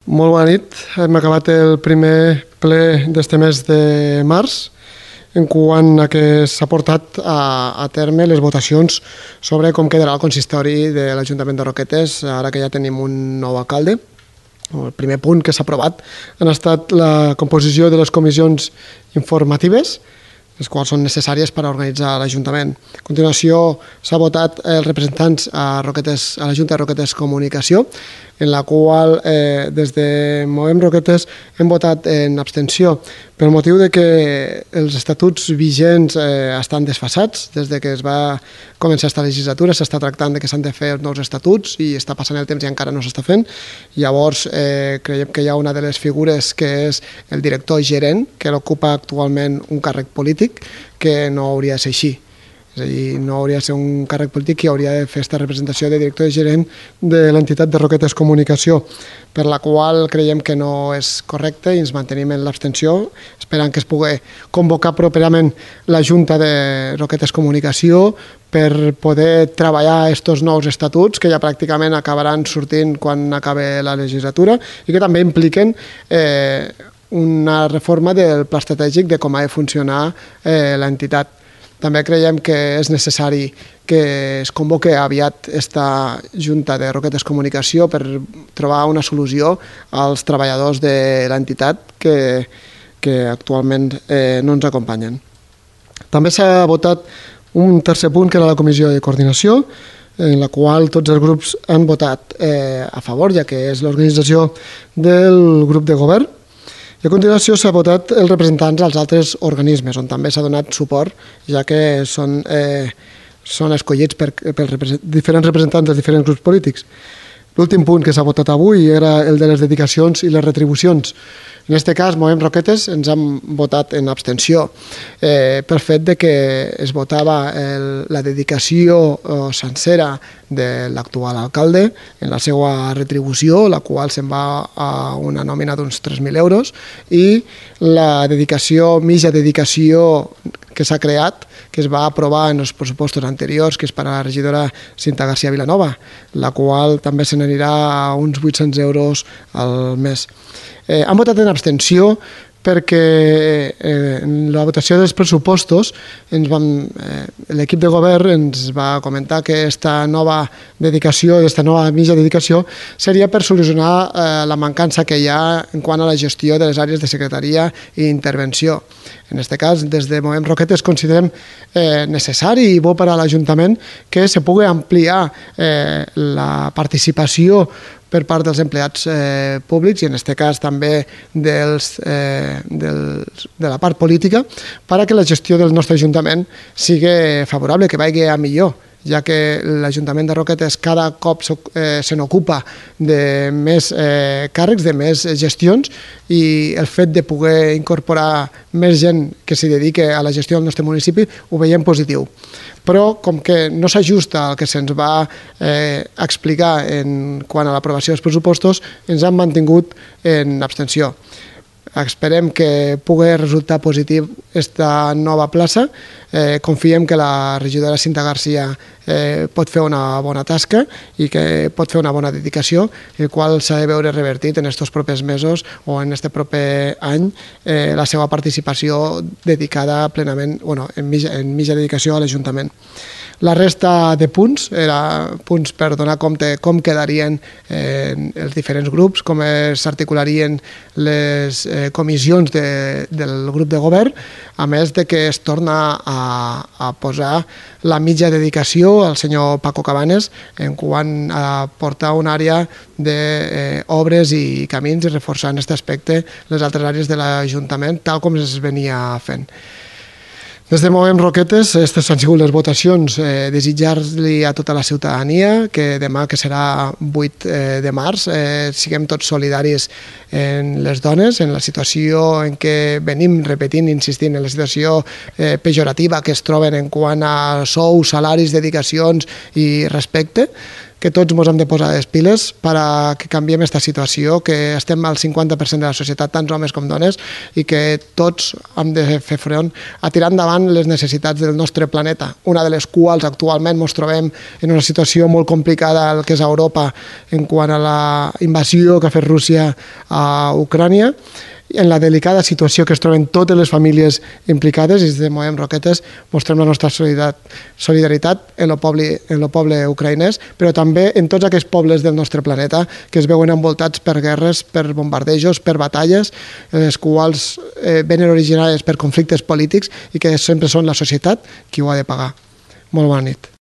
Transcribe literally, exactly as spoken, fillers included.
Molt bona nit. Hem acabat el primer ple d'este mes de març, en quant a que s'ha portat a, a terme les votacions sobre com quedarà el consistori de l'Ajuntament de Roquetes, ara que ja tenim un nou alcalde. El primer punt que s'ha aprovat ha estat la composició de les comissions informatives, les quals són necessàries per a organitzar l'Ajuntament. A continuació, s'ha votat els representants a, Roquetes, a la Junta de Roquetes Comunicació, en la qual eh, des de Movem Roquetes hem votat en abstenció pel motiu de que els estatuts vigents eh, estan desfasats. Des de que es va començar aquesta legislatura s'està tractant de que s'han de fer nous estatuts i està passant el temps i encara no s'està fent. Llavors eh, creiem que hi ha una de les figures que és el director gerent, que l'ocupa actualment un càrrec polític, que no hauria de ser així. És a dir, no hauria de ser un càrrec polític que hauria de fer aquesta representació de director gerent de l'entitat de Roquetes Comunicació, per la qual creiem que no és correcte i ens mantenim en l'abstenció, esperant que es pugui convocar properament la Junta de Roquetes Comunicació per poder treballar aquests nous estatuts que ja pràcticament acabaran sortint quan acabi la legislatura i que també impliquen eh, una reforma del pla estratègic de com ha de funcionar eh, l'entitat. També creiem que és necessari que es convoqui aviat aquesta Junta de Roquetes Comunicació per trobar una solució als treballadors de l'entitat que, que actualment eh, no ens acompanyen. També s'ha votat un tercer punt, que era la Comissió de Coordinació, en la qual tots els grups han votat eh, a favor, ja que és l'organització del grup de govern. I a continuació s'ha votat els representants als altres organismes, on també s'ha donat suport, ja que són, eh, són escollits per, per represent, diferents representants dels diferents grups polítics. L'últim punt que s'ha votat avui era el de les dedicacions i les retribucions. En aquest cas, Movem Roquetes ens hem votat en abstenció eh, pel fet de que es votava el, la dedicació eh, sencera de l'actual alcalde en la seva retribució, la qual se'n va a una nòmina d'uns tres mil euros, i la dedicació, mitja dedicació que s'ha creat, que es va aprovar en els pressupostos anteriors, que és per a la regidora Cinta García Vilanova, la qual també se n'anirà a uns vuit-cents euros al mes. Eh, han votat en abstenció perquè eh, en la votació dels pressupostos ens vam, eh, l'equip de govern ens va comentar que aquesta nova dedicació, aquesta nova mitja dedicació seria per solucionar eh, la mancança que hi ha en quant a la gestió de les àrees de secretaria i intervenció. En aquest cas, des de Movem Roquetes considerem eh, necessari i bo per a l'Ajuntament que se pugui ampliar eh, la participació per part dels empleats eh, públics i en aquest cas també dels, eh, dels, de la part política perquè la gestió del nostre Ajuntament sigui favorable, que vagi a millor, ja que l'Ajuntament de Roquetes cada cop eh, se n'ocupa de més eh, càrrecs, de més gestions, i el fet de poder incorporar més gent que s'hi dedique a la gestió del nostre municipi ho veiem positiu. Però com que no s'ajusta al que se'ns va eh, explicar en quant a l'aprovació dels pressupostos, ens han mantingut en abstenció. Esperem que pugui resultar positiu aquesta nova plaça. Eh, confiem que la regidora Cinta García eh, pot fer una bona tasca i que pot fer una bona dedicació, el qual s'ha de veure revertit en aquests propers mesos o en aquest proper any eh, la seva participació dedicada plenament, bueno, en mitja, en mitja dedicació a l'Ajuntament. La resta de punts era punts per donar compte com quedarien eh, els diferents grups, com s'articularien les eh, comissions de, del grup de govern, a més de que es torna a, a posar la mitja dedicació al senyor Paco Cabanes en quant a portar una àrea d'obres eh, i camins i reforçar en aquest aspecte les altres àrees de l'Ajuntament, tal com es venia fent. Des de Movem Roquetes, aquestes han sigut les votacions. Eh, desitjar-li a tota la ciutadania que demà, que serà vuit de març, eh, siguem tots solidaris en les dones, en la situació en què venim repetint, insistint, en la situació eh, pejorativa que es troben en quant a sous, salaris, dedicacions i respecte. que tots ens hem de posar les piles per a que canviem aquesta situació, que estem al cinquanta per cent de la societat, tant homes com dones, i que tots hem de fer front a tirar endavant les necessitats del nostre planeta, una de les quals actualment ens trobem en una situació molt complicada el que és a Europa en quant a la invasió que ha fet Rússia a Ucrània, en la delicada situació que es troben totes les famílies implicades, i des de Movem Roquetes mostrem la nostra solidaritat en el poble, en el poble ucraïnès, però també en tots aquests pobles del nostre planeta que es veuen envoltats per guerres, per bombardejos, per batalles, les quals eh, venen originades per conflictes polítics i que sempre són la societat qui ho ha de pagar. Molt bona nit.